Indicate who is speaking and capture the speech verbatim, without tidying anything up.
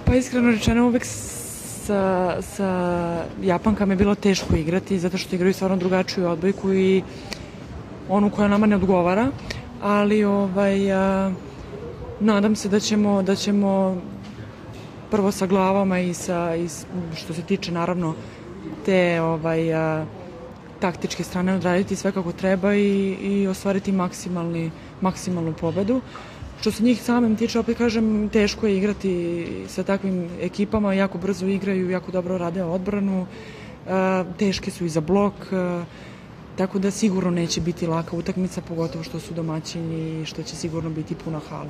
Speaker 1: Pa iskreno rečeno, uvek sa, sa Japankama je bilo teško igrati, zato što igraju stvarno drugačiju odbojku i onu koja nama ne odgovara, ali ovaj, a, nadam se da ćemo, da ćemo prvo sa glavama i, sa, i što se tiče naravno te ovaj, a, taktičke strane odraditi sve kako treba i, i ostvariti maksimalni, maksimalnu pobedu. Što se njih samim tiče, opet kažem, teško je igrati sa takvim ekipama, jako brzo igraju, jako dobro rade odbranu, teške su i za blok, tako da sigurno neće biti laka utakmica, pogotovo što su domaćini i što će sigurno biti puna hala.